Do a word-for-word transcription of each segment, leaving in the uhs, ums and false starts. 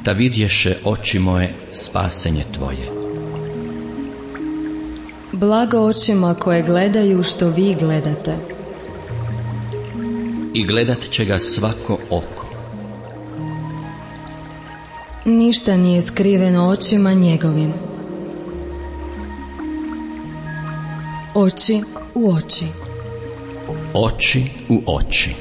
da vidješe oči moje spasenje tvoje. Blago očima koje gledaju što vi gledate. I gledat će ga svako oko. Ništa nije skriveno očima njegovim. Oči u oči. Oči u oči.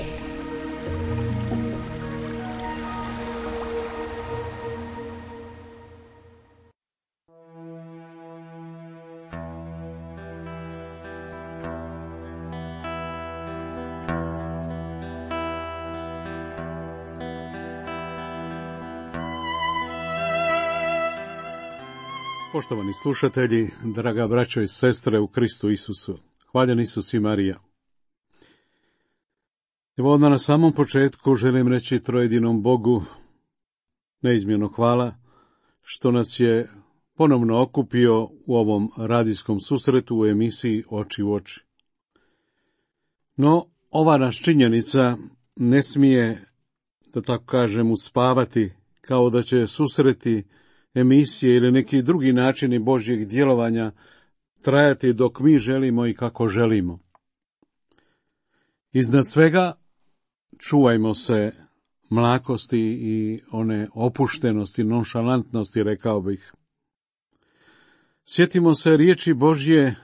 Poštovani slušatelji, draga braćo i sestre u Kristu Isusu, hvaljen Isus i Marija. Evo odmah na samom početku želim reći trojedinom Bogu neizmjerno hvala što nas je ponovno okupio u ovom radijskom susretu u emisiji Oči u oči. No, ova naš činjenica ne smije, da tako kažem, uspavati kao da će susreti emisije ili neki drugi načini Božjeg djelovanja trajati dok mi želimo i kako želimo. Iznad svega čuvajmo se mlakosti i one opuštenosti, nonšalantnosti, rekao bih. Sjetimo se riječi Božje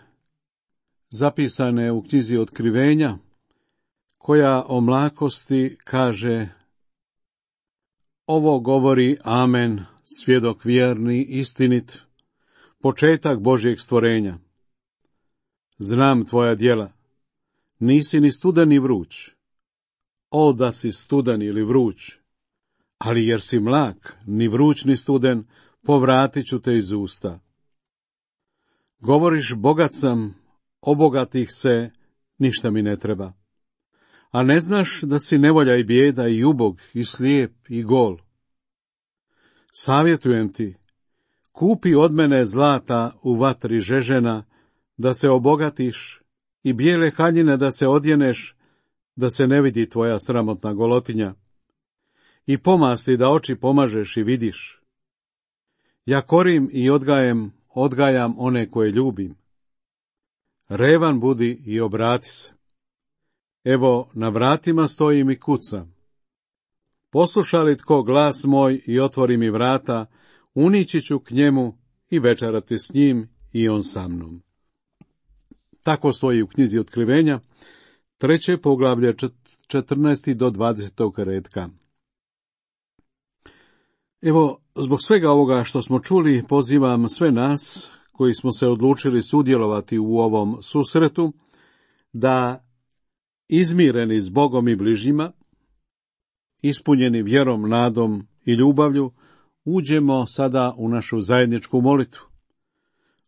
zapisane u knjizi Otkrivenja, koja o mlakosti kaže: ovo govori Amen, svjedok vjerni, istinit, početak Božjeg stvorenja. Znam tvoja djela, nisi ni studan ni vruć. O, da si studan ili vruć, ali jer si mlak, ni vruć ni studen, povratit ću te iz usta. Govoriš, bogat sam, obogatih se, ništa mi ne treba. A ne znaš da si nevolja i bijeda i ubog i slijep i gol. Savjetujem ti, kupi od mene zlata u vatri žežena, da se obogatiš, i bijele haljine da se odjeneš, da se ne vidi tvoja sramotna golotinja, i pomasti da oči pomažeš i vidiš. Ja korim i odgajem, odgajam one koje ljubim. Revan budi i obrati se. Evo, na vratima stojim i kucam. Posluša li tko glas moj i otvori mi vrata, unići ću k njemu i večerati s njim i on sa mnom. Tako stoji u knjizi Otkrivenja, treće poglavlje, četrnaesti do dvadesetog redka. Evo, zbog svega ovoga što smo čuli, pozivam sve nas koji smo se odlučili sudjelovati u ovom susretu, da izmireni s Bogom i bližnjima, ispunjeni vjerom, nadom i ljubavlju, uđemo sada u našu zajedničku molitvu.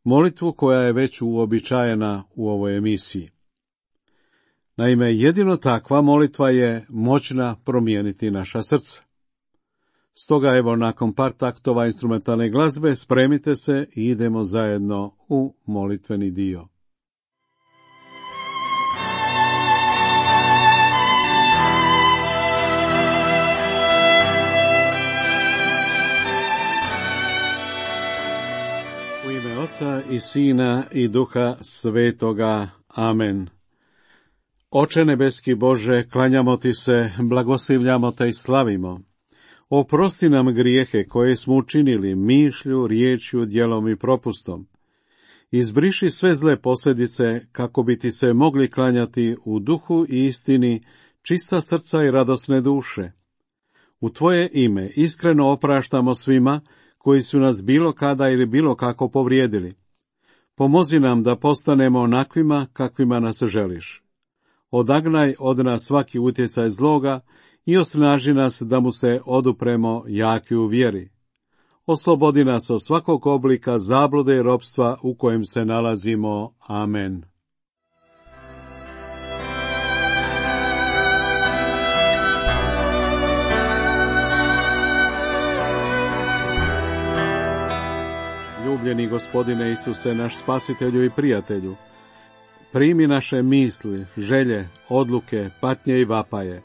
Molitvu koja je već uobičajena u ovoj emisiji. Naime, jedino takva molitva je moćna promijeniti naša srca. Stoga evo, nakon par taktova instrumentalne glazbe, spremite se i idemo zajedno u molitveni dio. U ime Oca i Sina i Duha Svetoga. Amen. Oče nebeski Bože, klanjamo ti se, blagoslivljamo te i slavimo. Oprosti nam grijehe koje smo učinili mišlju, riječju, djelom i propustom. Izbriši sve zle posljedice kako bi ti se mogli klanjati u duhu i istini, čista srca i radosne duše. U tvoje ime iskreno opraštamo svima koji su nas bilo kada ili bilo kako povrijedili. Pomozi nam da postanemo onakvima kakvima nas želiš. Odagnaj od nas svaki utjecaj zloga i osnaži nas da mu se odupremo jaki u vjeri. Oslobodi nas od svakog oblika zablude i ropstva u kojem se nalazimo. Amen. Ljubljeni Gospodine Isuse, naš spasitelju i prijatelju, primi naše misli, želje, odluke, patnje i vapaje.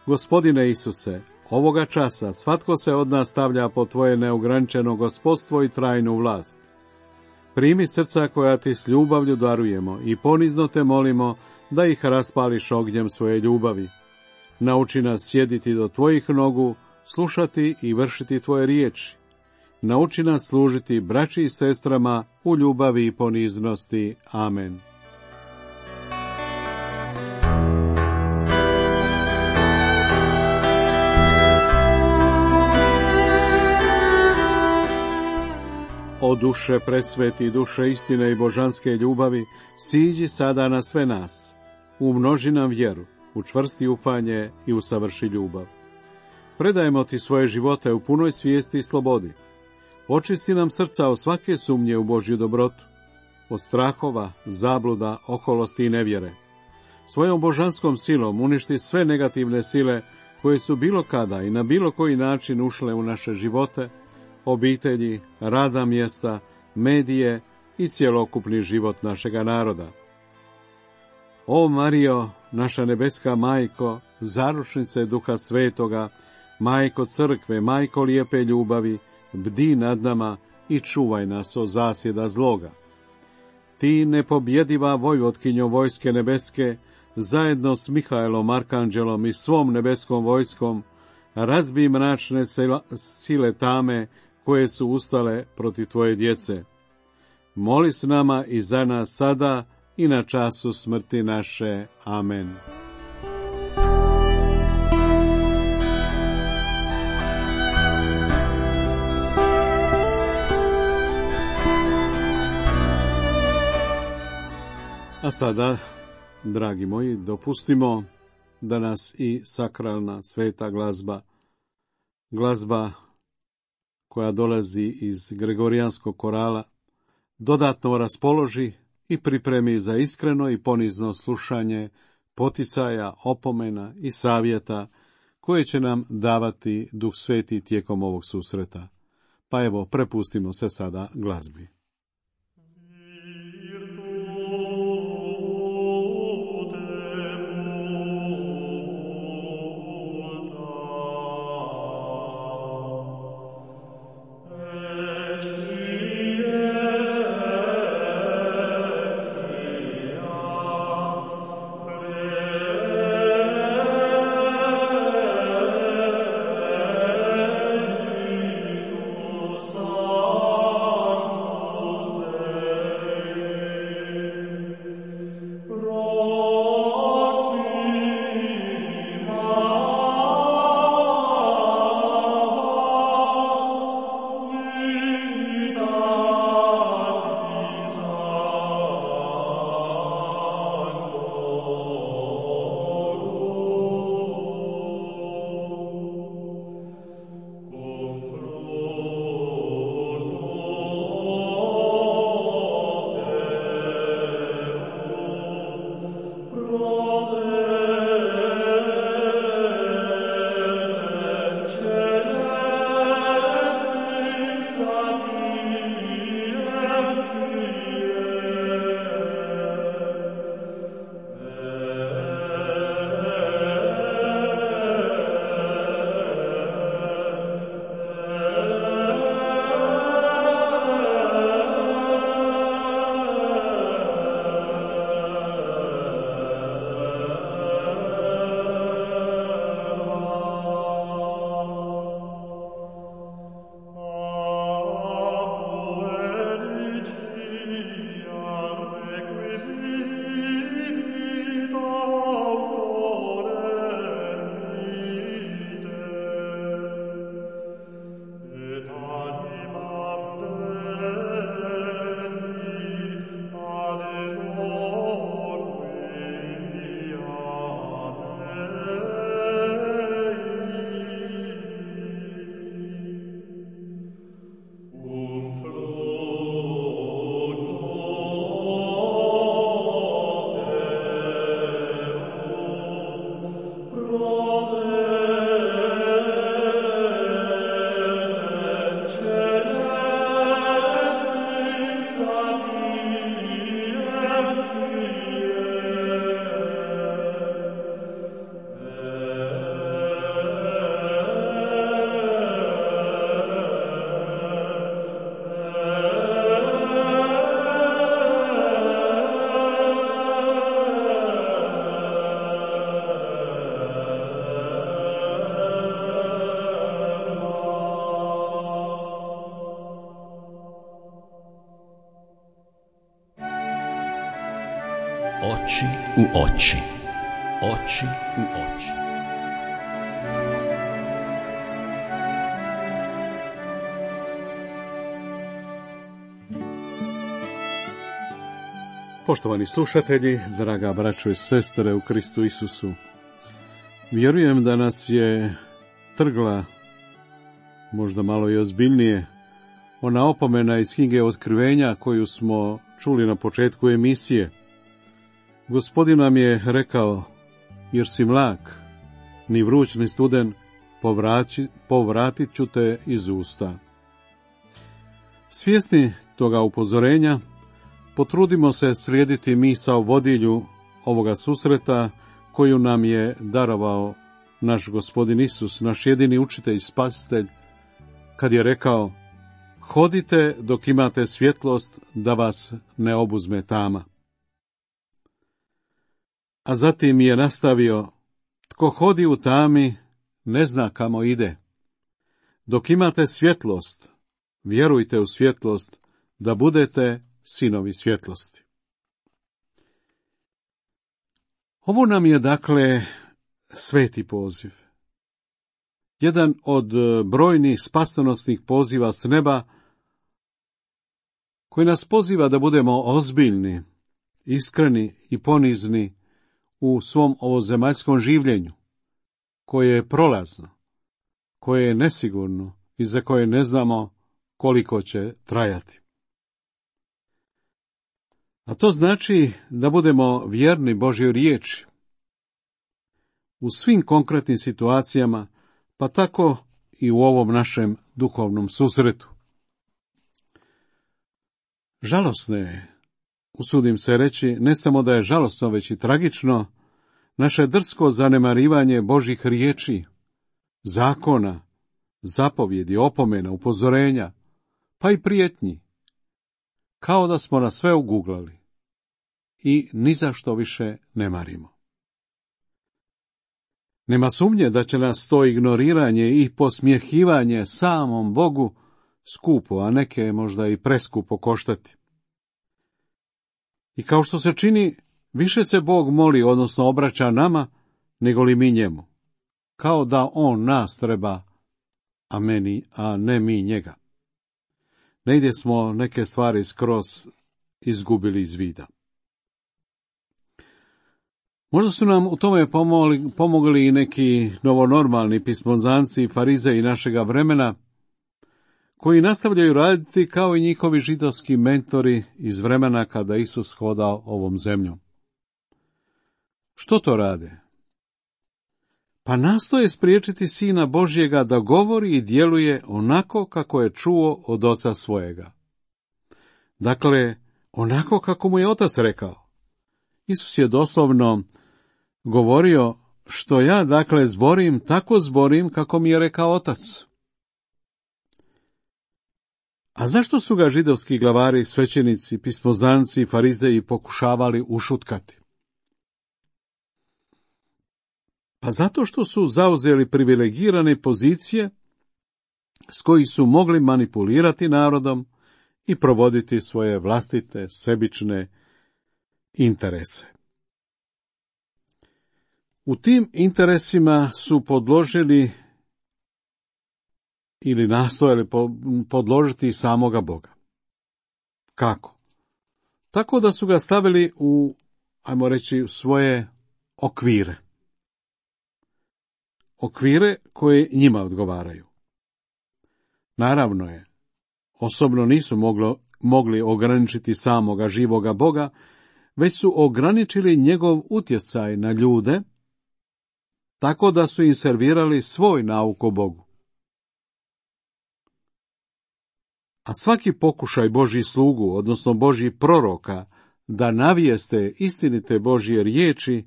Gospodine Isuse, Ovoga časa svatko se od nas stavlja pod tvoje neograničeno gospodstvo i trajnu vlast. Primi srca koja ti s ljubavlju darujemo i ponizno te molimo da ih raspališ ognjem svoje ljubavi. Nauči nas sjediti do tvojih nogu, slušati i vršiti tvoje riječi. Nauči nas služiti braći i sestrama u ljubavi i poniznosti. Amen. O duše presveti, duše istine i božanske ljubavi, siđi sada na sve nas. Umnoži nam vjeru, učvrsti ufanje i usavrši ljubav. Predajemo ti svoje živote u punoj svijesti i slobodi. Očisti nam srca od svake sumnje u Božju dobrotu, od strahova, zabluda, oholosti i nevjere. Svojom božanskom silom uništi sve negativne sile koje su bilo kada i na bilo koji način ušle u naše živote, obitelji, radna mjesta, medije i cjelokupni život našega naroda. O Marijo, naša nebeska majko, zaručnice Duha Svetoga, majko crkve, majko lijepe ljubavi, bdi nad nama i čuvaj nas od zasjeda zloga. Ti, nepobjediva vojvotkinjo vojske nebeske, zajedno s Mihaelom Arkanđelom i svom nebeskom vojskom, razbij mračne sile tame koje su ustale protiv tvoje djece. Moli s nama i za nas sada i na času smrti naše. Amen. A sada, dragi moji, dopustimo da nas i sakralna sveta glazba, glazba koja dolazi iz Gregorijanskog korala, dodatno raspoloži i pripremi za iskreno i ponizno slušanje poticaja, opomena i savjeta koje će nam davati Duh Sveti tijekom ovog susreta. Pa evo, prepustimo se sada glazbi. Sanctus Oči u oči. Oči u oči. Poštovani slušatelji, draga braćo i sestre u Kristu Isusu, vjerujem da nas je trgla, možda malo i ozbiljnije, ona opomena iz knjige Otkrivenja koju smo čuli na početku emisije. Gospodin nam je rekao, jer si mlak, ni vruć ni studen, povraći, povratit ću te iz usta. Svjesni toga upozorenja, potrudimo se slijediti misao vodilju ovoga susreta koju nam je darovao naš Gospodin Isus, naš jedini učitelj i spasitelj, kad je rekao, hodite dok imate svjetlost da vas ne obuzme tama. A zatim je nastavio, tko hodi u tami ne zna kamo ide. Dok imate svjetlost, vjerujte u svjetlost da budete sinovi svjetlosti. Ovo nam je dakle sveti poziv. Jedan od brojnih spasonosnih poziva s neba, koji nas poziva da budemo ozbiljni, iskreni i ponizni u svom ovozemaljskom življenju, koje je prolazno, koje je nesigurno i za koje ne znamo koliko će trajati. A to znači da budemo vjerni Božjoj riječi u svim konkretnim situacijama, pa tako i u ovom našem duhovnom susretu. Žalosno je, usudim se reći, ne samo da je žalosno, već i tragično, naše drsko zanemarivanje Božjih riječi, zakona, zapovjedi, opomena, upozorenja, pa i prijetnji, kao da smo na sve uguglali i ni za što više ne marimo. Nema sumnje da će nas to ignoriranje i posmjehivanje samom Bogu skupo, a neke možda i preskupo koštati. I kao što se čini, više se Bog moli, odnosno obraća nama, nego li mi njemu. Kao da on nas treba, a meni, a ne mi njega. Negdje smo neke stvari skroz izgubili iz vida. Možda su nam u tome pomogli, pomogli i neki novonormalni pismoznanci i farizeji našega vremena, koji nastavljaju raditi kao i njihovi židovski mentori iz vremena kada Isus hodao ovom zemljom. Što to rade? Pa nastoje spriječiti Sina Božjega da govori i djeluje onako kako je čuo od oca svojega. Dakle, onako kako mu je otac rekao. Isus je doslovno govorio, što ja dakle zborim, tako zborim kako mi je rekao otac. A zašto su ga židovski glavari, svećenici, pismoznanci i farizeji pokušavali ušutkati? Pa zato što su zauzeli privilegirane pozicije s koji su mogli manipulirati narodom i provoditi svoje vlastite, sebične interese. U tim interesima su podložili ili nastojali podložiti samoga Boga. Kako? Tako da su ga stavili u, ajmo reći, svoje okvire. Okvire koje njima odgovaraju. Naravno je, osobno nisu moglo, mogli ograničiti samoga živoga Boga, već su ograničili njegov utjecaj na ljude, tako da su im servirali svoj nauk o Bogu. A svaki pokušaj Božjih slugu, odnosno Božjih proroka, da navijeste istinite Božje riječi,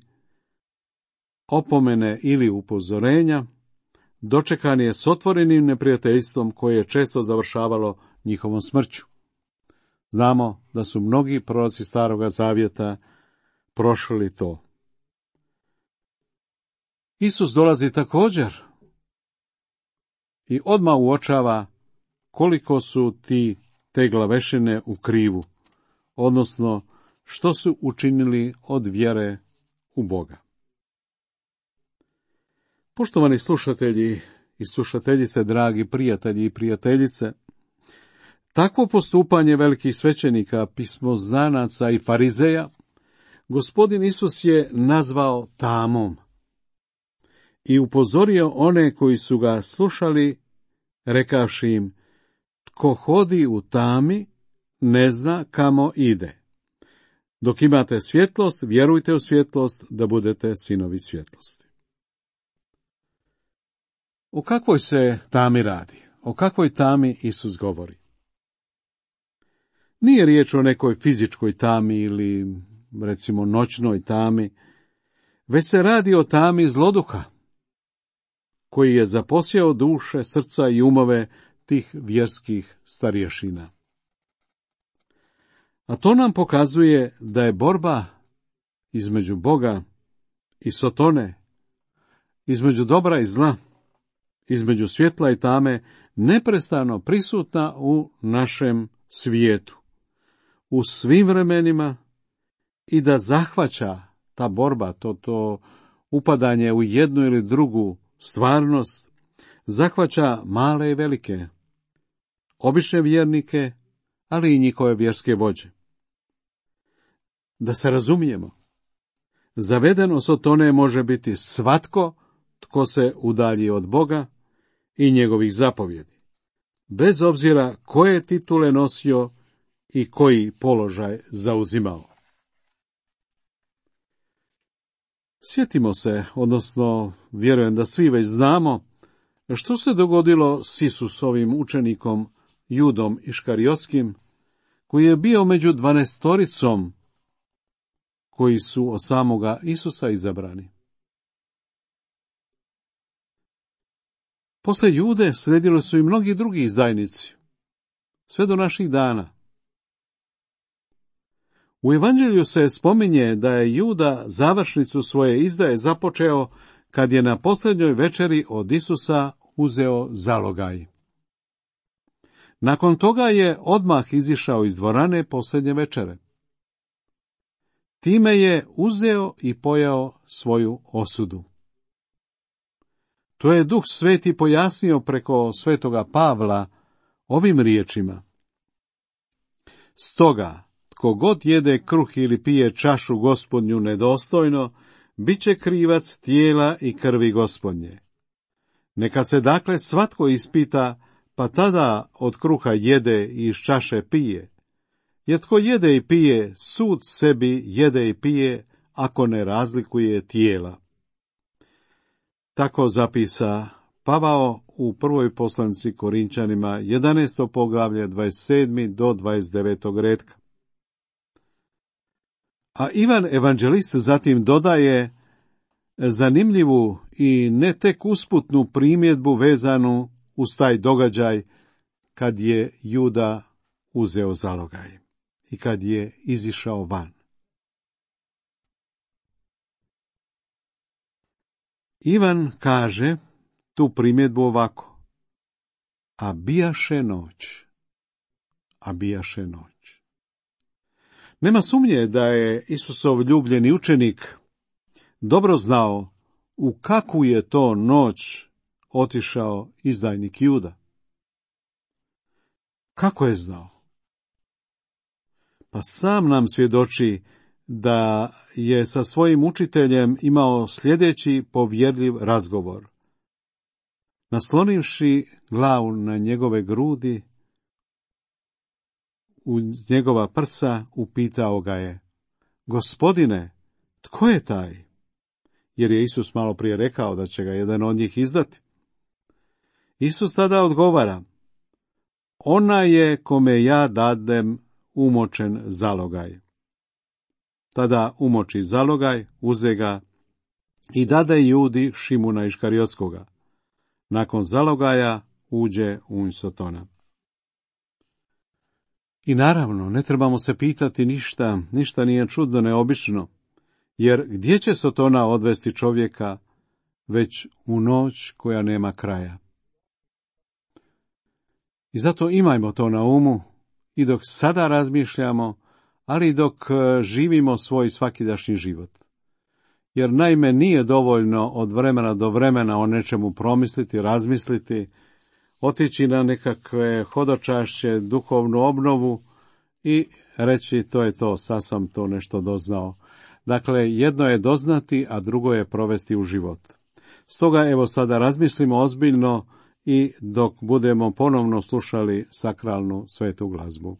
opomene ili upozorenja, dočekan je s otvorenim neprijateljstvom koje je često završavalo njihovom smrću. Znamo da su mnogi proroci Staroga Zavjeta prošli to. Isus dolazi također i odmah uočava koliko su ti te glavešine u krivu, odnosno što su učinili od vjere u Boga. Poštovani slušatelji i slušateljice, dragi prijatelji i prijateljice, takvo postupanje velikih svećenika, pismoznanaca i farizeja, Gospodin Isus je nazvao tamom i upozorio one koji su ga slušali, rekavši im: tko hodi u tami, ne zna kamo ide. Dok imate svjetlost, vjerujte u svjetlost, da budete sinovi svjetlosti. O kakvoj se tami radi? O kakvoj tami Isus govori? Nije riječ o nekoj fizičkoj tami ili, recimo, noćnoj tami, već se radi o tami zloduha, koji je zaposjeo duše, srca i umove tih vjerskih starješina. A to nam pokazuje da je borba između Boga i Sotone, između dobra i zla, između svjetla i tame, neprestano prisutna u našem svijetu, u svim vremenima, i da zahvaća ta borba, to, to upadanje u jednu ili drugu stvarnost, zahvaća male i velike, obične vjernike, ali i njihove vjerske vođe. Da se razumijemo, zavedeno Sotone može biti svatko tko se udalji od Boga i njegovih zapovjedi, bez obzira koje titule nosio i koji položaj zauzimao. Sjetimo se, odnosno vjerujem da svi već znamo, što se dogodilo s Isusovim učenikom Judom Iškariotskim, koji je bio među dvanaestoricom koji su od samoga Isusa izabrani. Posle Jude slijedili su i mnogi drugi izdajnici, sve do naših dana. U Evanđelju se spominje da je Juda završnicu svoje izdaje započeo kad je na posljednjoj večeri od Isusa uzeo zalogaj. Nakon toga je odmah izišao iz dvorane posljednje večere. Time je uzeo i pojao svoju osudu. To je Duh Sveti pojasnio preko svetoga Pavla ovim riječima: stoga, tko god jede kruh ili pije čašu Gospodnju nedostojno, bit će krivac tijela i krvi Gospodnje. Neka se dakle svatko ispita, pa tada od kruha jede i iz čaše pije. Jer tko jede i pije, sud sebi jede i pije, ako ne razlikuje tijela. Tako zapisa Pavao u prvoj poslanici Korinčanima, jedanaesto poglavlje, dvadeset sedmi do dvadeset devetog retka. A Ivan evanđelist zatim dodaje zanimljivu i ne tek usputnu primjedbu vezanu uz taj događaj kad je Juda uzeo zalogaj i kad je izišao van. Ivan kaže tu primjedbu ovako: a bijaše noć, a bijaše noć. Nema sumnje da je Isusov ljubljeni učenik dobro znao u kakvu je to noć otišao izdajnik Juda. Kako je znao? Pa sam nam svjedoči da je sa svojim učiteljem imao sljedeći povjerljiv razgovor. Naslonivši glavu na njegove grudi, uz njegova prsa, upitao ga je: Gospodine, tko je taj? Jer je Isus malo prije rekao da će ga jedan od njih izdati. Isus tada odgovara: ona je kome ja dadem umočen zalogaj. Tada umoči zalogaj, uze ga i dade Judi Šimuna Iškariotskoga. Nakon zalogaja uđe u Sotona. I naravno, ne trebamo se pitati ništa, ništa nije čudno, neobično, jer gdje će Sotona odvesti čovjeka već u noć koja nema kraja? I zato imajmo to na umu i dok sada razmišljamo, ali dok živimo svoj svakidašnji život. Jer naime nije dovoljno od vremena do vremena o nečemu promisliti, razmisliti, otići na nekakve hodočašće, duhovnu obnovu i reći to je to, sad sam to nešto doznao. Dakle, jedno je doznati, a drugo je provesti u život. Stoga evo sada razmislimo ozbiljno i dok budemo ponovno slušali sakralnu svetu glazbu.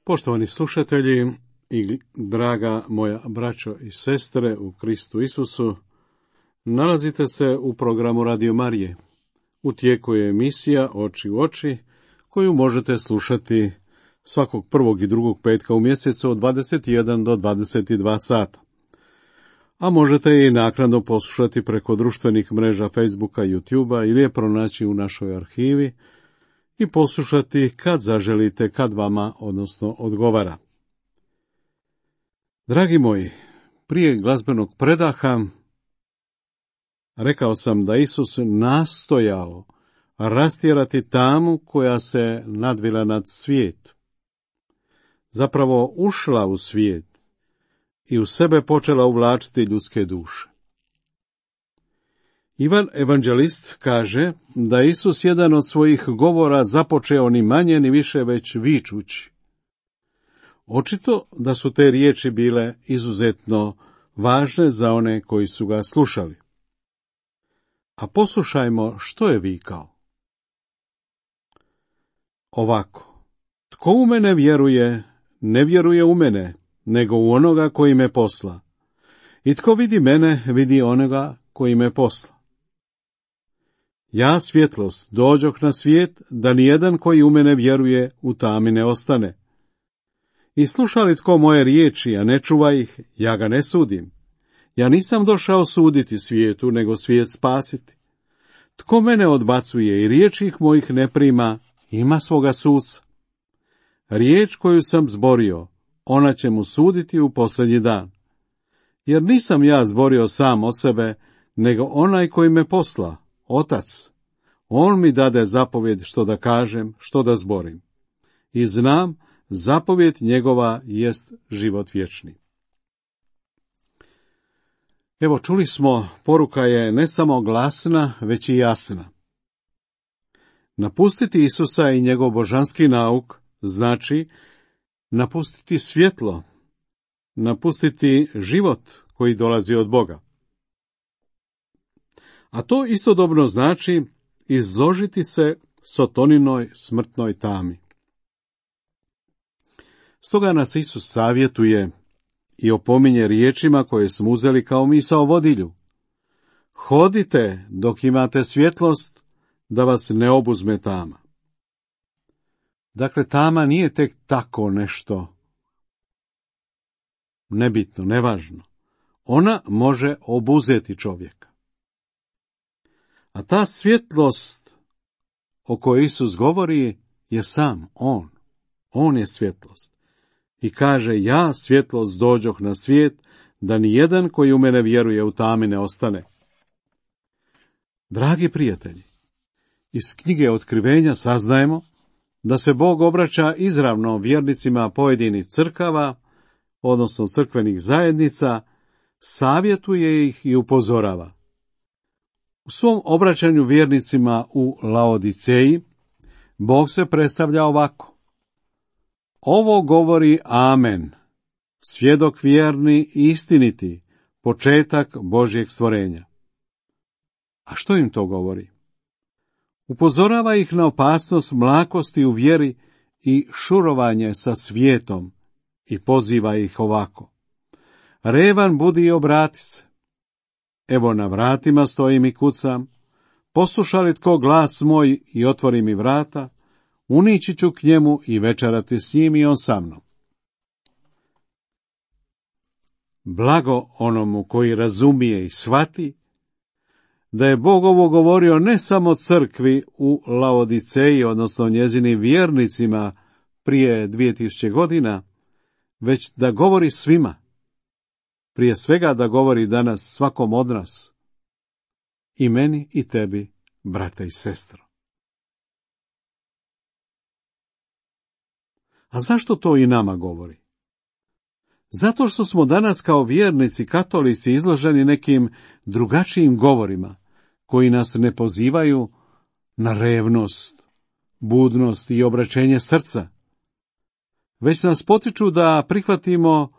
Poštovani slušatelji i draga moja braćo i sestre u Kristu Isusu, nalazite se u programu Radio Marije. U tijeku je emisija Oči u oči, koju možete slušati svakog prvog i drugog petka u mjesecu od dvadeset jedan do dvadeset dva sata. A možete je i naknadno poslušati preko društvenih mreža Facebooka, YouTubea ili je pronaći u našoj arhivi i poslušati kad zaželite, kad vama, odnosno odgovara. Dragi moji, prije glazbenog predaha Rekao sam da Isus nastojao rastjerati tamu koja se nadvila nad svijet. Zapravo ušla u svijet i u sebe počela uvlačiti ljudske duše. Ivan evanđelist kaže da Isus jedan od svojih govora započeo ni manje ni više već vičući. Očito da su te riječi bile izuzetno važne za one koji su ga slušali. A poslušajmo što je vikao. Ovako, tko u mene vjeruje, ne vjeruje u mene, nego u onoga koji me posla. I tko vidi mene, vidi onoga koji me posla. Ja, svjetlost, dođoh na svijet, da nijedan koji u mene vjeruje u tami ne ostane. I sluša li tko moje riječi, a ne čuva ih, ja ga ne sudim. Ja nisam došao suditi svijetu, nego svijet spasiti. Tko mene odbacuje i riječi mojih ne prima, ima svoga suca. Riječ koju sam zborio, ona će mu suditi u posljednji dan. Jer nisam ja zborio sam o sebe, nego onaj koji me posla, Otac. On mi dade zapovjed što da kažem, što da zborim. I znam, zapovjed njegova jest život vječni. Evo, čuli smo, poruka je ne samo glasna, već i jasna. Napustiti Isusa i njegov božanski nauk znači napustiti svjetlo, napustiti život koji dolazi od Boga. A to istodobno znači izložiti se Sotoninoj smrtnoj tami. Stoga nas Isus savjetuje i opominje riječima koje smo uzeli kao misao vodilju. Hodite dok imate svjetlost, da vas ne obuzme tama. Dakle, tama nije tek tako nešto nebitno, nevažno. Ona može obuzeti čovjeka. A ta svjetlost o kojoj Isus govori je sam On. On je svjetlost. I kaže, ja svjetlost dođoh na svijet, da ni jedan koji u mene vjeruje u tami ne ostane. Dragi prijatelji, iz knjige Otkrivenja saznajemo da se Bog obraća izravno vjernicima pojedinih crkava, odnosno crkvenih zajednica, savjetuje ih i upozorava. U svom obraćanju vjernicima u Laodiceji, Bog se predstavlja ovako. Ovo govori Amen, svjedok vjerni i istiniti, početak Božjeg stvorenja. A što im to govori? Upozorava ih na opasnost mlakosti u vjeri i šurovanje sa svijetom i poziva ih ovako. Revan budi i obrati se. Evo na vratima stojim i kucam. Posluša li tko glas moj i otvori mi vrata, unići ću k njemu i večerati s njim i on sa mnom. Blago onomu koji razumije i shvati da je Bog ovo govorio ne samo crkvi u Laodiceji, odnosno njezinim vjernicima prije dvije tisuće godina, već da govori svima. Prije svega da govori danas svakom od nas. I meni i tebi, brate i sestro. A zašto to i nama govori? Zato što smo danas kao vjernici katolici izloženi nekim drugačijim govorima, koji nas ne pozivaju na revnost, budnost i obraćenje srca, već nas potiču da prihvatimo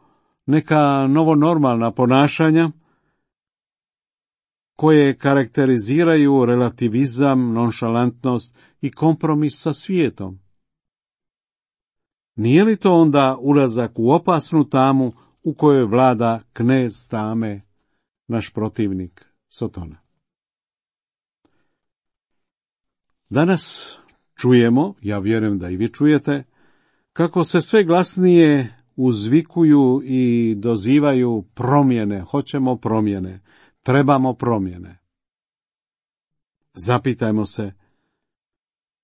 neka novonormalna ponašanja koje karakteriziraju relativizam, nonšalantnost i kompromis sa svijetom. Nije li to onda ulazak u opasnu tamu u kojoj vlada knez tame, naš protivnik Sotona? Danas čujemo, ja vjerujem da i vi čujete, kako se sve glasnije uzvikuju i dozivaju promjene, hoćemo promjene, trebamo promjene. Zapitajmo se,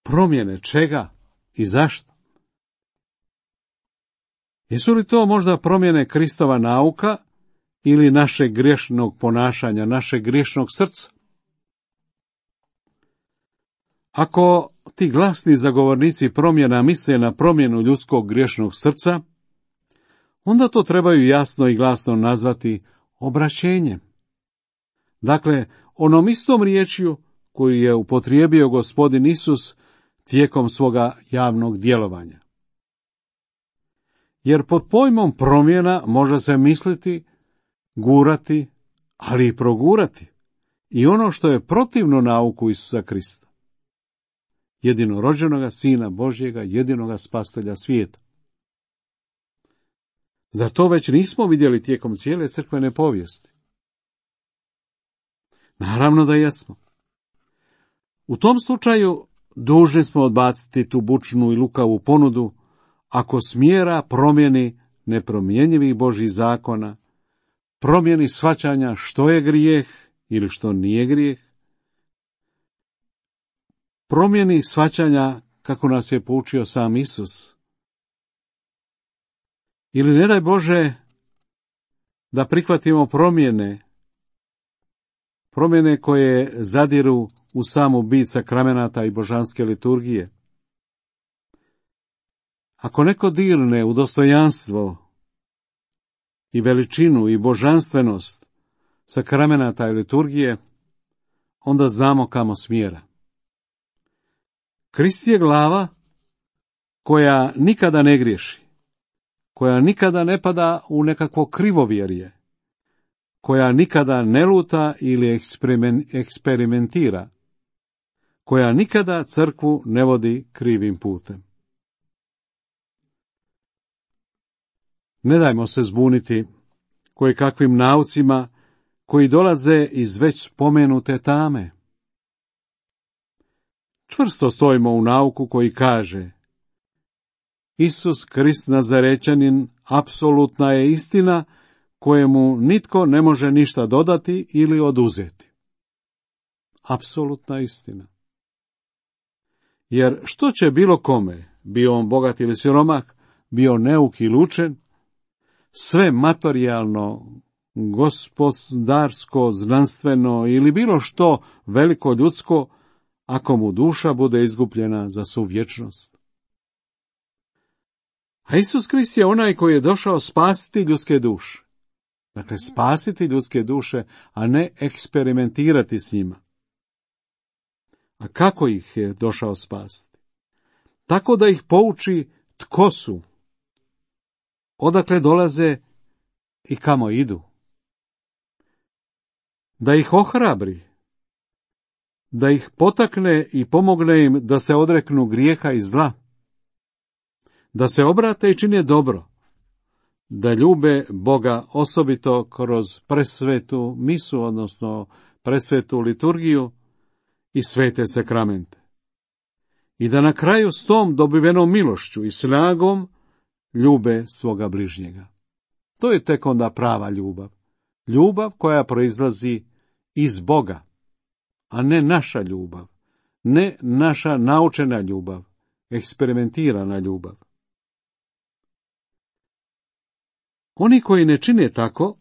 promjene čega i zašto? Jesu li to možda promjene Kristova nauka ili našeg griješnog ponašanja, našeg griješnog srca? Ako ti glasni zagovornici promjena misle na promjenu ljudskog griješnog srca, onda to trebaju jasno i glasno nazvati obraćenjem. Dakle, onom istom riječju koju je upotrijebio Gospodin Isus tijekom svoga javnog djelovanja. Jer pod pojmom promjena može se misliti, gurati, ali i progurati i ono što je protivno nauku Isusa Krista, jedinorođenoga Sina Božjega, jedinoga spasitelja svijeta. Zar to već nismo vidjeli tijekom cijele crkvene povijesti? Naravno da jesmo. U tom slučaju dužni smo odbaciti tu bučnu i lukavu ponudu ako smjera promjeni nepromjenjivih Božjih zakona, promjeni shvaćanja što je grijeh ili što nije grijeh, promjeni shvaćanja kako nas je poučio sam Isus. Ili ne daj Bože da prihvatimo promjene, promjene koje zadiru u samu bit sakramenata i božanske liturgije. Ako neko dirne u dostojanstvo i veličinu i božanstvenost sakramenata i liturgije, onda znamo kamo smjera. Krist je glava koja nikada ne griješi, koja nikada ne pada u nekakvo krivovjerje, koja nikada ne luta ili eksperimentira, koja nikada crkvu ne vodi krivim putem. Ne dajmo se zbuniti koje kakvim naucima koji dolaze iz već spomenute tame. Čvrsto stojimo u nauku koji kaže: Isus Krist Nazarećanin apsolutna je istina kojemu nitko ne može ništa dodati ili oduzeti. Apsolutna istina. Jer što će bilo kome, bio on bogat ili siromah, bio neuk ili učen, sve materijalno, gospodarsko, znanstveno ili bilo što veliko ljudsko, ako mu duša bude izgubljena za svu vječnost. A Isus Krist je onaj koji je došao spasiti ljudske duše. Dakle, spasiti ljudske duše, a ne eksperimentirati s njima. A kako ih je došao spasiti? Tako da ih pouči tko su, odakle dolaze i kamo idu. Da ih ohrabri, da ih potakne i pomogne im da se odreknu grijeha i zla, da se obrate i čine dobro, da ljube Boga osobito kroz presvetu misu, odnosno presvetu liturgiju i svete sakramente. I da na kraju s tom dobivenom milošću i snagom ljube svoga bližnjega. To je tek onda prava ljubav. Ljubav koja proizlazi iz Boga, a ne naša ljubav, ne naša naučena ljubav, eksperimentirana ljubav. Oni koji ne čine tako,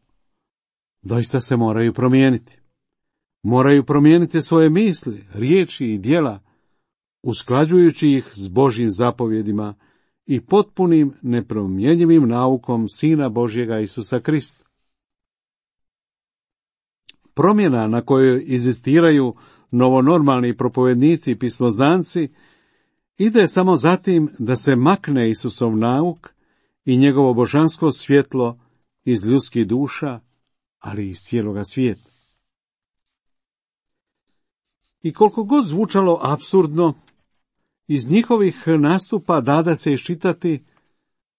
doista se moraju promijeniti. Moraju promijeniti svoje misli, riječi i djela, usklađujući ih s Božjim zapovjedima i potpunim nepromjenjivim naukom Sina Božjega Isusa Krista. Promjena na kojoj inzistiraju novonormalni propovednici i pismozanci ide samo zatim da se makne Isusov nauk i njegovo božansko svjetlo iz ljudskih duša, ali i iz cijeloga svijeta. I koliko god zvučalo apsurdno, iz njihovih nastupa dada se iščitati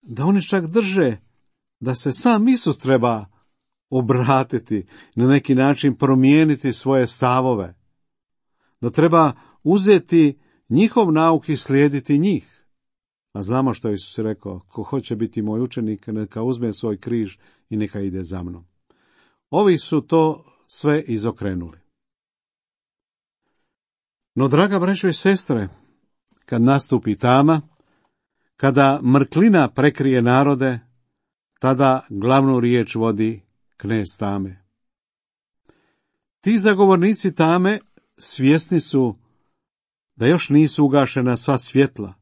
da oni čak drže da se sam Isus treba obratiti, na neki način promijeniti svoje stavove, da treba uzeti njihov nauk i slijediti njih. A znamo što je Isus rekao: ko hoće biti moj učenik, neka uzme svoj križ i neka ide za mnom. Ovi su to sve izokrenuli. No, draga braćo i sestre, kad nastupi tama, kada mrklina prekrije narode, tada glavnu riječ vodi knez tame. Ti zagovornici tame svjesni su da još nisu ugašena sva svjetla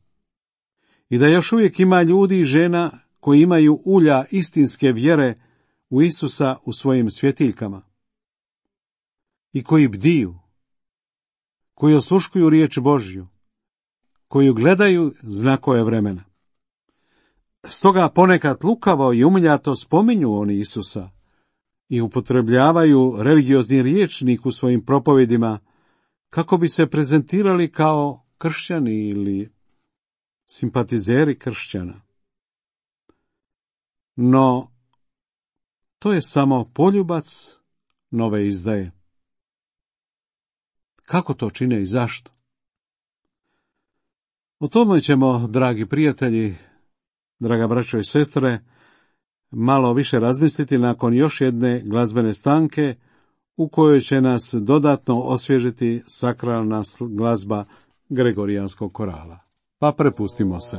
i da još uvijek ima ljudi i žena koji imaju ulja istinske vjere u Isusa u svojim svjetiljkama i koji bdiju, koji osluškuju riječ Božju, koji gledaju znakove vremena. Stoga ponekad lukavo i umiljato spominju oni Isusa i upotrebljavaju religiozni rječnik u svojim propovedima kako bi se prezentirali kao kršćani ili simpatizeri kršćana. No, to je samo poljubac nove izdaje. Kako to čine i zašto? O tome ćemo, dragi prijatelji, draga braćo i sestre, malo više razmisliti nakon još jedne glazbene stanke u kojoj će nas dodatno osvježiti sakralna glazba Gregorijanskog korala. Pa prepustimo se.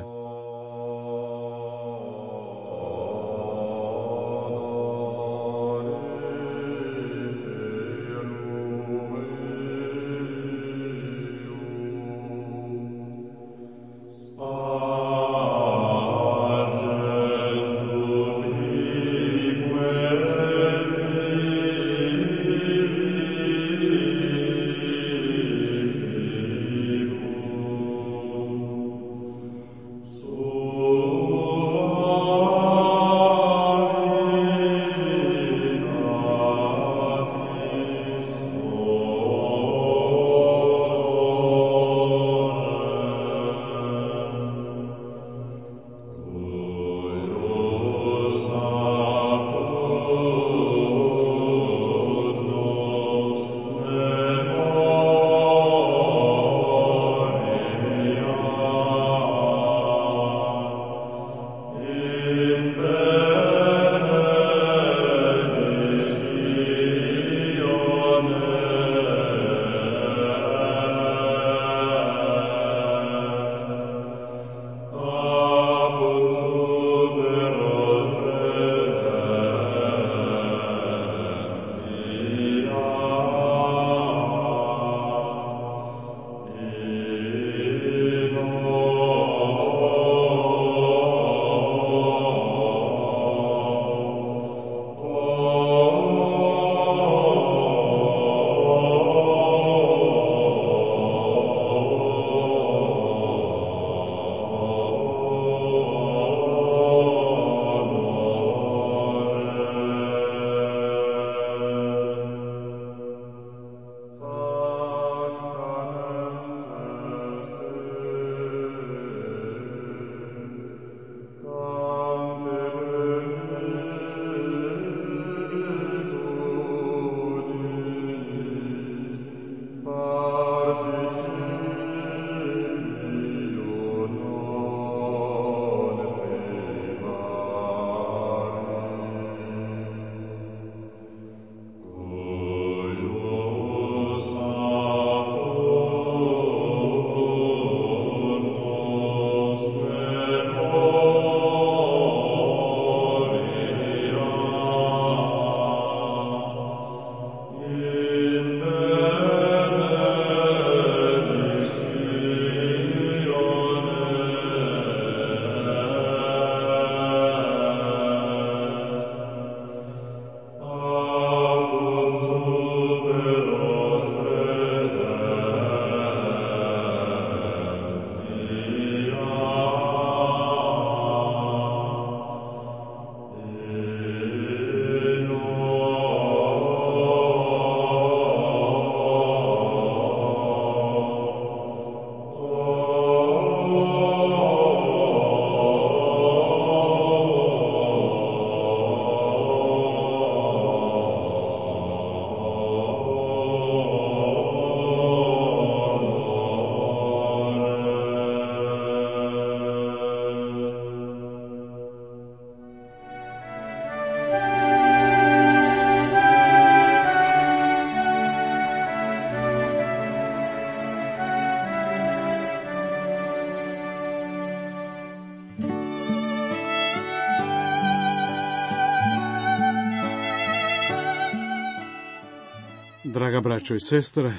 Draga braćo i sestre,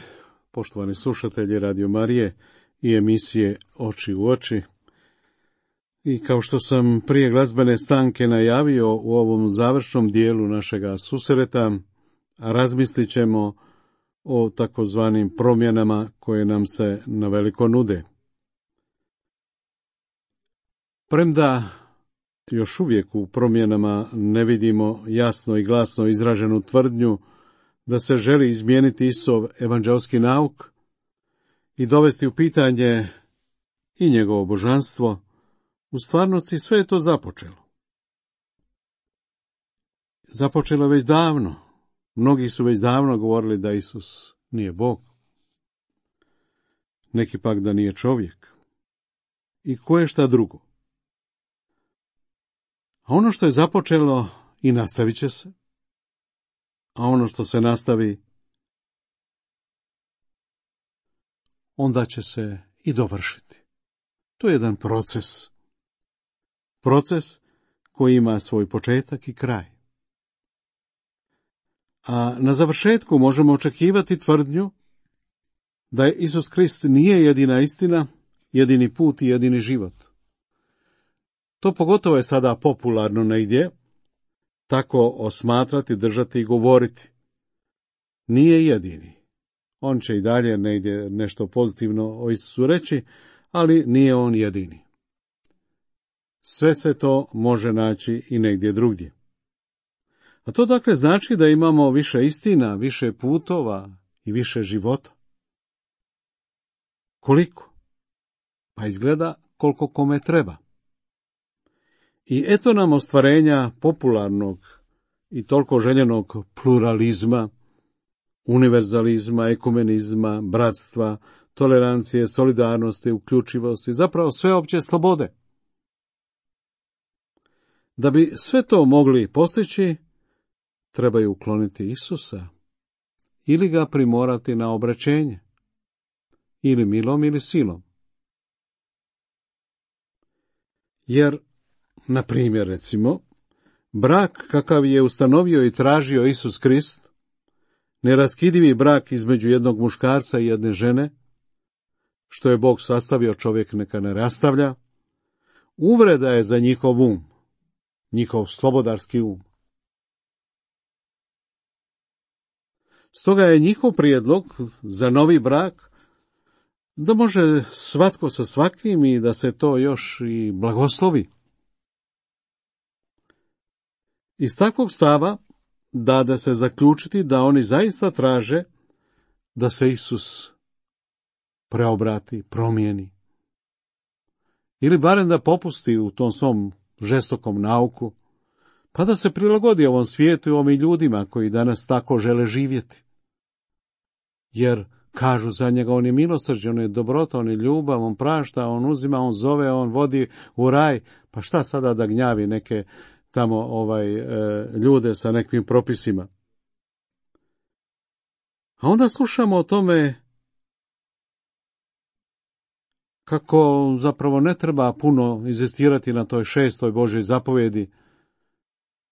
poštovani slušatelji Radio Marije, i emisije Oči u oči. I kao što sam prije glazbene stanke najavio u ovom završnom dijelu našega susreta, razmislit ćemo o takozvanim promjenama koje nam se naveliko nude. Premda još uvijek u promjenama ne vidimo jasno i glasno izraženu tvrdnju da se želi izmijeniti Isov evanđelski nauk i dovesti u pitanje i njegovo božanstvo, u stvarnosti sve je to započelo. Započelo već davno. Mnogi su već davno govorili da Isus nije Bog. Neki pak da nije čovjek. I koje šta drugo. A ono što je započelo i nastavit će se, a ono što se nastavi, onda će se i dovršiti. To je jedan proces. Proces koji ima svoj početak i kraj. A na završetku možemo očekivati tvrdnju da je Isus Krist nije jedina istina, jedini put i jedini život. To pogotovo je sada popularno negdje, tako osmatrati, držati i govoriti. Nije jedini. On će i dalje negdje nešto pozitivno o Isusu reći, ali nije on jedini. Sve se to može naći i negdje drugdje. A to dakle znači da imamo više istina, više putova i više života. Koliko? Pa izgleda koliko kome treba. I eto nam ostvarenja popularnog i toliko željenog pluralizma, univerzalizma, ekumenizma, bratstva, tolerancije, solidarnosti, uključivosti, zapravo sveopće slobode. Da bi sve to mogli postići, trebaju ukloniti Isusa ili ga primorati na obraćenje, ili milom ili silom. Jer, na primjer, recimo, brak kakav je ustanovio i tražio Isus Krist, neraskidivi brak između jednog muškarca i jedne žene, što je Bog sastavio, čovjek neka ne rastavlja, uvreda je za njihov um, njihov slobodarski um. Stoga je njihov prijedlog za novi brak da može svatko sa svakim i da se to još i blagoslovi. Iz takvog stava dade se zaključiti da oni zaista traže da se Isus preobrati, promijeni. Ili barem da popusti u tom svom žestokom nauku, pa da se prilagodi ovom svijetu i ovim ljudima koji danas tako žele živjeti. Jer kažu za njega, on je milosrđen, on je dobrota, on je ljubav, on prašta, on uzima, on zove, on vodi u raj. Pa šta sada da gnjavi neke tamo ovaj e, ljude sa nekim propisima? A onda slušamo o tome kako zapravo ne treba puno inzistirati na toj šestoj Božjoj zapovjedi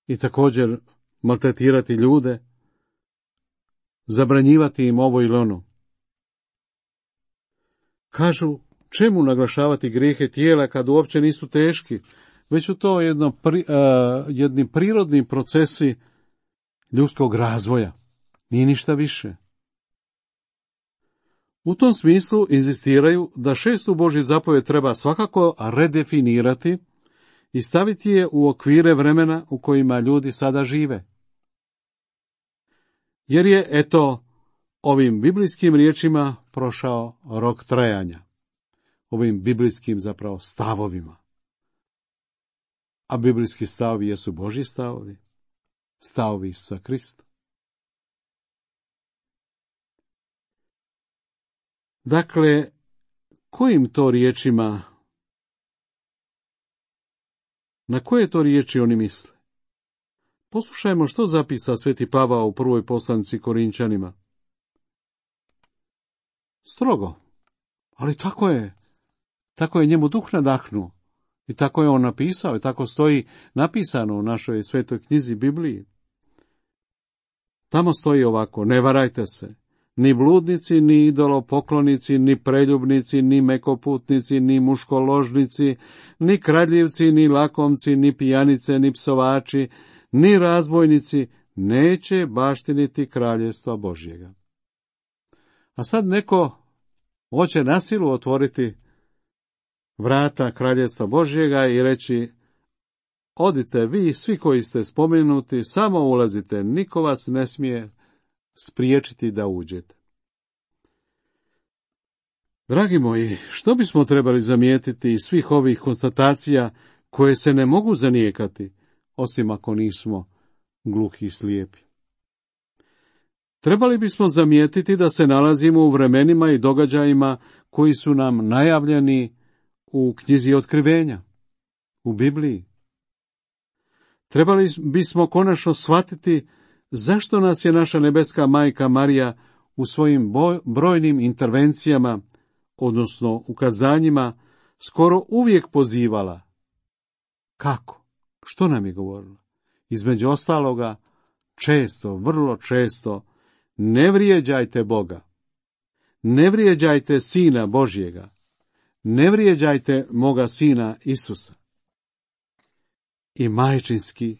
i također maltretirati ljude, zabranjivati im ovo ili ono. Kažu, čemu naglašavati grijehe tijela kad uopće nisu teški, već su to jedno, pri, uh, jedni prirodni procesi ljudskog razvoja, nije ništa više. U tom smislu inzistiraju da šestu Božju zapovjed treba svakako redefinirati i staviti je u okvire vremena u kojima ljudi sada žive. Jer je, eto, ovim biblijskim riječima prošao rok trajanja, ovim biblijskim zapravo stavovima. A biblijski stavovi jesu Božji stavovi, stavovi Isusa Krista. Dakle, kojim to riječima, na koje to riječi oni misle? Poslušajmo što zapisa sveti Pavao u prvoj poslanici Korinčanima. Strogo, ali tako je, tako je njemu duh nadahnuo i tako je on napisao i tako stoji napisano u našoj svetoj knjizi Bibliji. Tamo stoji ovako, ne varajte se, ni bludnici, ni idolopoklonici, ni preljubnici, ni mekoputnici, ni muškoložnici, ni kradljivci, ni lakomci, ni pijanice, ni psovači, ni razbojnici neće baštiniti kraljevstva Božjega. A sad neko hoće na silu otvoriti vrata kraljevstva Božjega i reći: odite vi, svi koji ste spomenuti, samo ulazite, niko vas ne smije spriječiti da uđete. Dragi moji, što bismo trebali zamijetiti iz svih ovih konstatacija koje se ne mogu zanijekati, osim ako nismo gluhi i slijepi? Trebali bismo zamijetiti da se nalazimo u vremenima i događajima koji su nam najavljeni u knjizi Otkrivenja, u Bibliji. Trebali bismo konačno shvatiti zašto nas je naša nebeska majka Marija u svojim brojnim intervencijama, odnosno ukazanjima, skoro uvijek pozivala. Kako? Što nam je govorila? Između ostaloga, često, vrlo često, ne vrijeđajte Boga, ne vrijeđajte Sina Božjega, ne vrijeđajte moga Sina Isusa. I majčinski,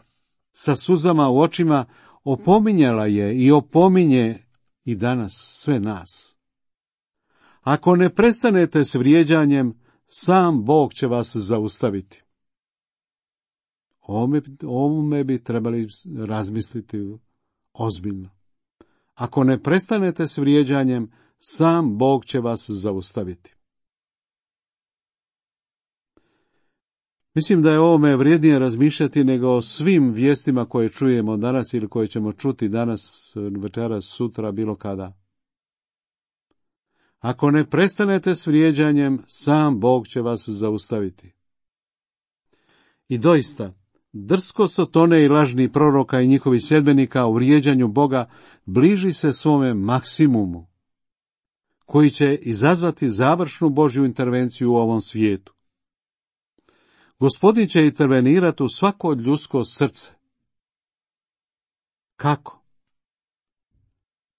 sa suzama u očima, opominjala je i opominje i danas sve nas. Ako ne prestanete s vrijeđanjem, sam Bog će vas zaustaviti. Ovome, ovome bi trebali razmisliti ozbiljno. Ako ne prestanete s vrijeđanjem, sam Bog će vas zaustaviti. Mislim da je ovome vrijednije razmišljati nego o svim vijestima koje čujemo danas ili koje ćemo čuti danas, večeras, sutra, bilo kada. Ako ne prestanete s vrijeđanjem, sam Bog će vas zaustaviti. I doista, drsko Sotone i lažni proroka i njihovi sljedbenika u vrijeđanju Boga bliži se svome maksimumu, koji će izazvati završnu Božju intervenciju u ovom svijetu. Gospodin će intervenirati u svako ljudsko srce. Kako?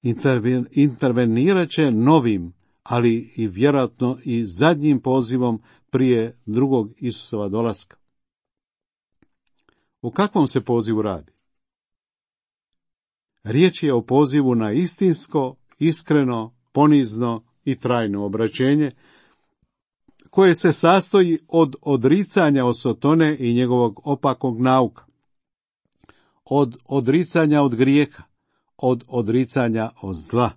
Interven, intervenirat će novim, ali i vjerojatno i zadnjim pozivom prije drugog Isusova dolaska. O kakvom se pozivu radi? Riječ je o pozivu na istinsko, iskreno, ponizno i trajno obraćenje, koje se sastoji od odricanja od Sotone i njegovog opakog nauka, od odricanja od grijeha, od odricanja od zla,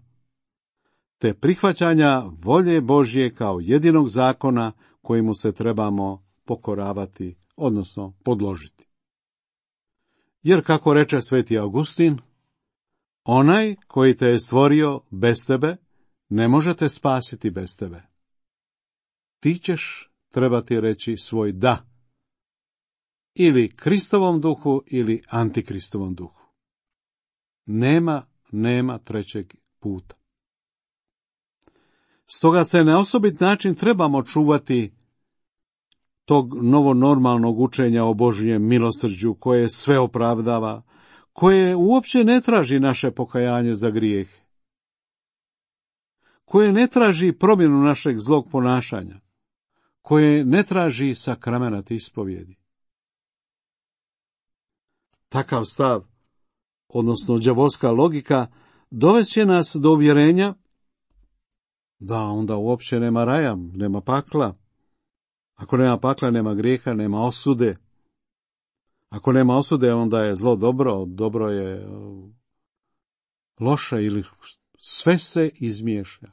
te prihvaćanja volje Božje kao jedinog zakona kojemu se trebamo pokoravati, odnosno podložiti. Jer, kako reče sveti Augustin, onaj koji te je stvorio bez tebe, ne može te spasiti bez tebe. Ti ćeš trebati reći svoj da, ili Kristovom duhu, ili Antikristovom duhu. Nema, nema trećeg puta. Stoga se na osobit način trebamo čuvati tog novonormalnog učenja o Božjem milosrđu, koje sve opravdava, koje uopće ne traži naše pokajanje za grijeh, koje ne traži promjenu našeg zlog ponašanja, koje ne traži sakramenat ispovjedi. Takav stav, odnosno đavolska logika, dovest će nas do uvjerenja da onda uopće nema raja, nema pakla. Ako nema pakla, nema grijeha, nema osude. Ako nema osude, onda je zlo dobro, dobro je loše, ili sve se izmiješa.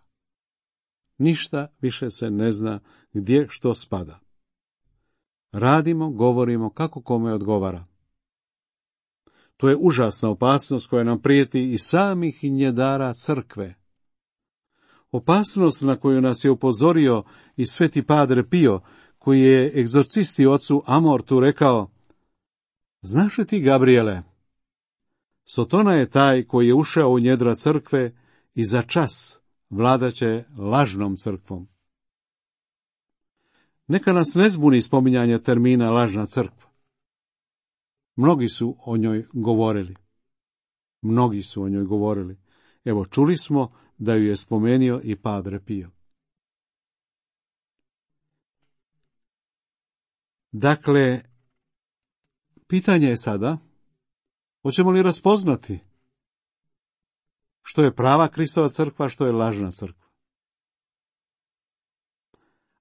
Ništa više se ne zna gdje što spada. Radimo, govorimo kako kome odgovara. To je užasna opasnost koja nam prijeti i samih njedara crkve. Opasnost na koju nas je upozorio i sveti Padre Pio, koji je egzorcisti ocu Amortu rekao: znaš li ti, Gabriele, Sotona je taj koji je ušao u njedra crkve i za čas vladaće lažnom crkvom. Neka nas ne zbuni spominjanje termina lažna crkva. Mnogi su o njoj govorili. Mnogi su o njoj govorili. Evo, čuli smo da ju je spomenio i Padre Pio. Dakle, pitanje je sada, hoćemo li raspoznati što je prava Kristova crkva, što je lažna crkva?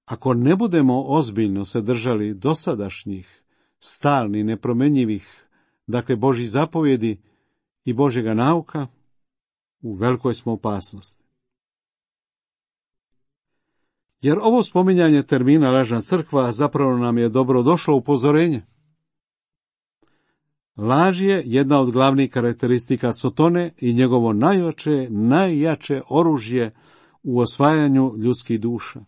Ako ne budemo ozbiljno se držali dosadašnjih, stalnih, nepromenjivih, dakle Božjih zapovjedi i Božjega nauka, u velikoj smo opasnosti. Jer ovo spominjanje termina lažna crkva zapravo nam je dobro došlo upozorenje. Laž je jedna od glavnih karakteristika Sotone i njegovo najjače, najjače oružje u osvajanju ljudskih duša.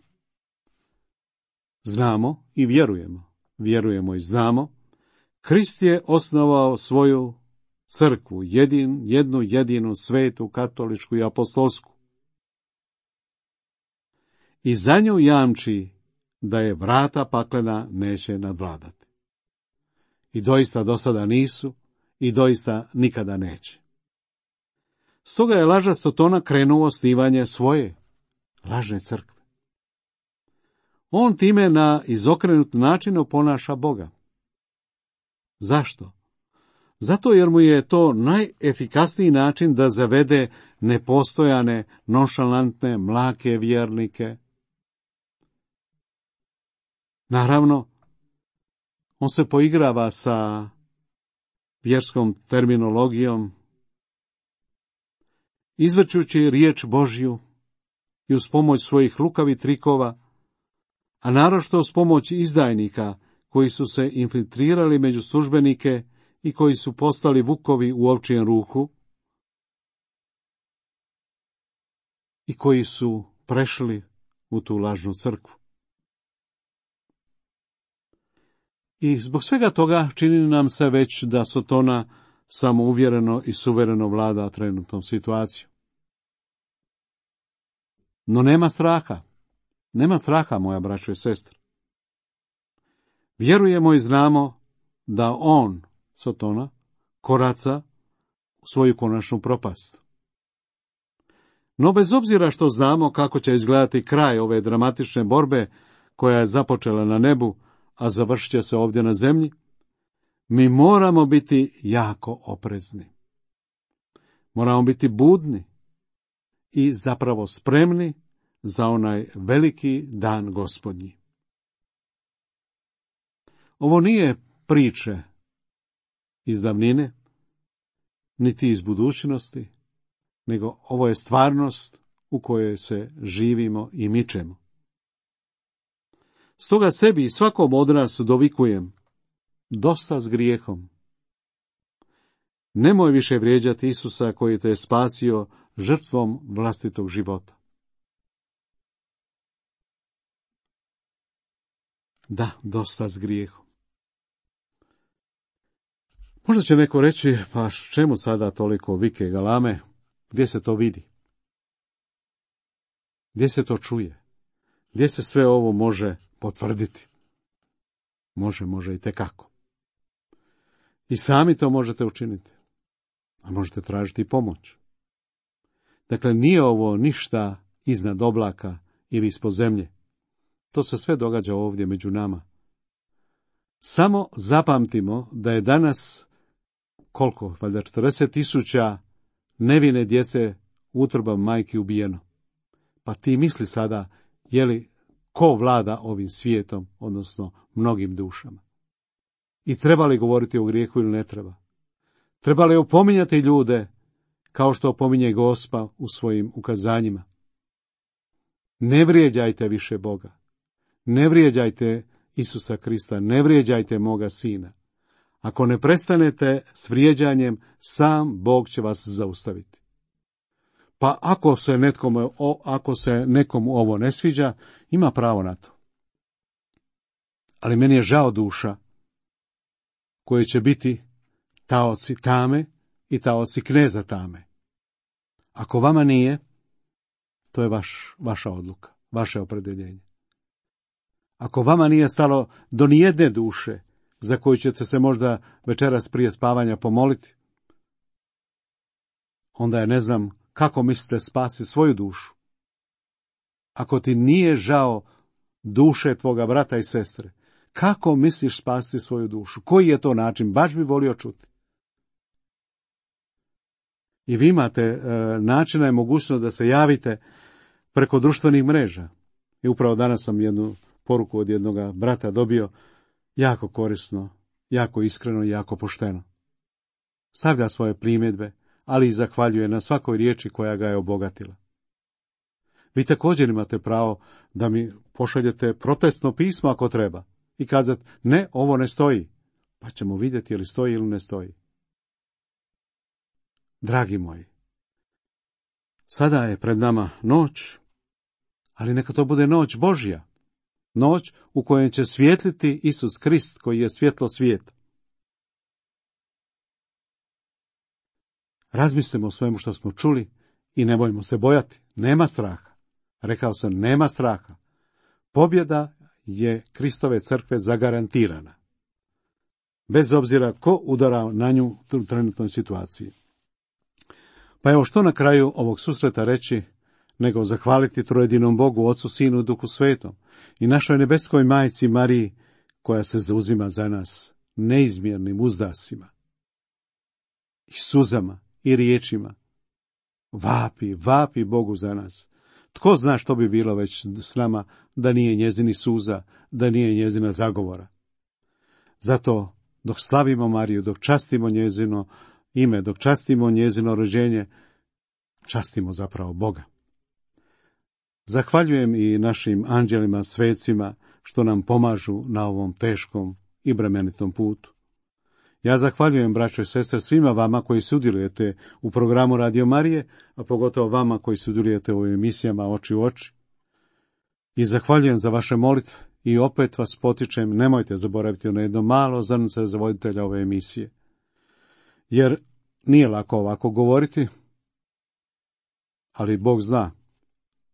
Znamo i vjerujemo, vjerujemo i znamo, Krist je osnovao svoju crkvu, jedin, jednu jedinu svetu, katoličku i apostolsku. I za nju jamči da je vrata paklena neće nadvladati. I doista do sada nisu i doista nikada neće. Stoga je laža Sotona krenuo osnivanje svoje lažne crkve. On time na izokrenut način oponaša Boga. Zašto? Zato jer mu je to najefikasniji način da zavede nepostojane, nonšalantne, mlake vjernike. Naravno, on se poigrava sa vjerskom terminologijom, izvrćući riječ Božju i uz pomoć svojih lukavih trikova, a naročito uz pomoć izdajnika koji su se infiltrirali među službenike i koji su postali vukovi u ovčijem ruhu i koji su prešli u tu lažnu crkvu. I zbog svega toga čini nam se već da Sotona samouvjereno i suvereno vlada trenutnom situacijom. No nema straha. Nema straha, moja braćo i sestre. Vjerujemo i znamo da on, Sotona, koraca u svoju konačnu propast. No bez obzira što znamo kako će izgledati kraj ove dramatične borbe koja je započela na nebu, a završit će se ovdje na zemlji, mi moramo biti jako oprezni. Moramo biti budni i zapravo spremni za onaj veliki dan Gospodnji. Ovo nije priče iz davnine, niti iz budućnosti, nego ovo je stvarnost u kojoj se živimo i mičemo. Stoga sebi i svakom od nas dovikujem, dosta s grijehom. Nemoj više vrijeđati Isusa koji te je spasio žrtvom vlastitog života. Da, dosta s grijehom. Možda će neko reći, pa čemu sada toliko vike i galame, gdje se to vidi? Gdje se to čuje? Gdje se sve ovo može potvrditi? Može, može i tekako. I sami to možete učiniti. A možete tražiti pomoć. Dakle, nije ovo ništa iznad oblaka ili ispod zemlje. To se sve događa ovdje među nama. Samo zapamtimo da je danas, koliko, valjda četrdeset tisuća nevine djece utrbom majki ubijeno. Pa ti misli sada, je li ko vlada ovim svijetom, odnosno mnogim dušama? I treba li govoriti o grijehu ili ne treba? Treba li opominjati ljude kao što opominje Gospa u svojim ukazanjima? Ne vrijeđajte više Boga. Ne vrijeđajte Isusa Krista, ne vrijeđajte moga sina. Ako ne prestanete s vrijeđanjem, sam Bog će vas zaustaviti. Pa ako se, netkome, ako se nekom ovo ne sviđa, ima pravo na to. Ali meni je žao duša koje će biti taoci tame i taoci kneza tame. Ako vama nije, to je vaš, vaša odluka, vaše opredjeljenje. Ako vama nije stalo do nijedne duše za koju ćete se možda večeras prije spavanja pomoliti, onda je ne znam kako mislite spasiti svoju dušu? Ako ti nije žao duše tvoga brata i sestre, kako misliš spasiti svoju dušu? Koji je to način? Baš bi volio čuti. I vi imate e, načina i mogućnost da se javite preko društvenih mreža. I upravo danas sam jednu poruku od jednog brata dobio, jako korisno, jako iskreno i jako pošteno. Stavlja svoje primjedbe, ali i zahvaljuje na svakoj riječi koja ga je obogatila. Vi također imate pravo da mi pošaljete protestno pismo ako treba i kazati, ne, ovo ne stoji, pa ćemo vidjeti je li stoji ili ne stoji. Dragi moji, sada je pred nama noć, ali neka to bude noć Božja, noć u kojoj će svijetliti Isus Krist koji je svjetlo svijeta. Razmislimo o svemu što smo čuli i ne bojmo se bojati, nema straha. Rekao sam, nema straha. Pobjeda je Kristove crkve zagarantirana. Bez obzira ko udara na nju u trenutnoj situaciji. Pa evo što na kraju ovog susreta reći, nego zahvaliti trojedinom Bogu, Ocu, Sinu, Duhu Svetom i našoj nebeskoj majci Mariji, koja se zauzima za nas neizmjernim uzdasima i suzama i riječima. Vapi, vapi Bogu za nas. Tko zna što bi bilo već s nama da nije njezini suza, da nije njezina zagovora. Zato dok slavimo Mariju, dok častimo njezino ime, dok častimo njezino rođenje, častimo zapravo Boga. Zahvaljujem i našim anđelima, svecima, što nam pomažu na ovom teškom i bremenitom putu. Ja zahvaljujem, braćo i sestre, svima vama koji sudjelujete u programu Radio Marije, a pogotovo vama koji sudjelujete u emisijama Oči u oči. I zahvaljujem za vaše molitve i opet vas potičem, nemojte zaboraviti na jedno malo zrnce za voditelja ove emisije. Jer nije lako ovako govoriti, ali Bog zna.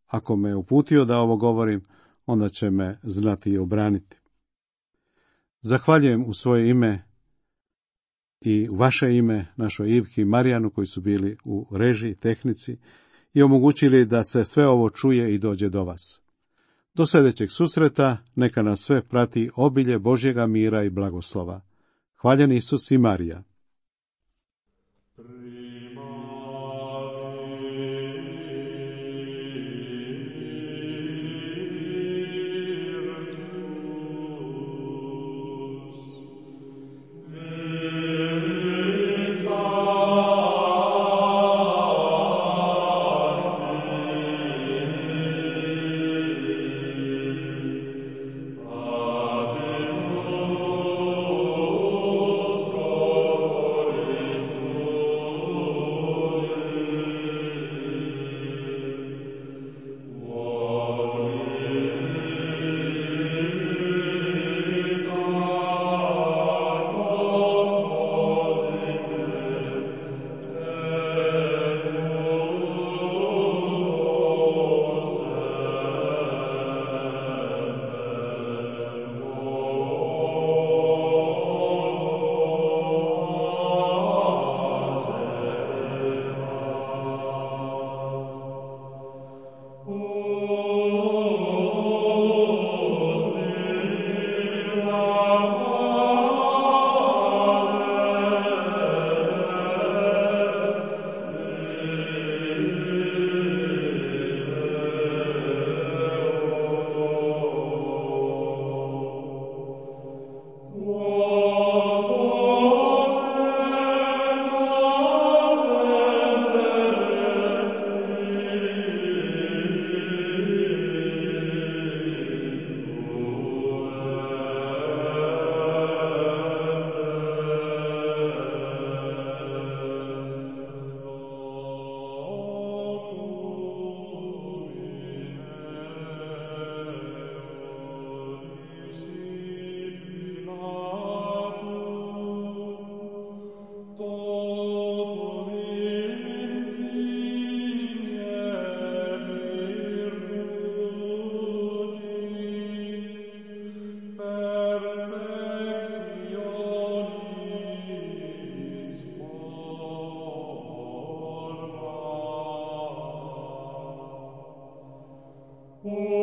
Ako me uputio da ovo govorim, onda će me znati i obraniti. Zahvaljujem u svoje ime i u vaše ime našoj Ivki i Marijanu koji su bili u režiji, tehnici i omogućili da se sve ovo čuje i dođe do vas. Do sljedećeg susreta neka nas sve prati obilje Božjega mira i blagoslova. Hvaljen Isus i Marija. O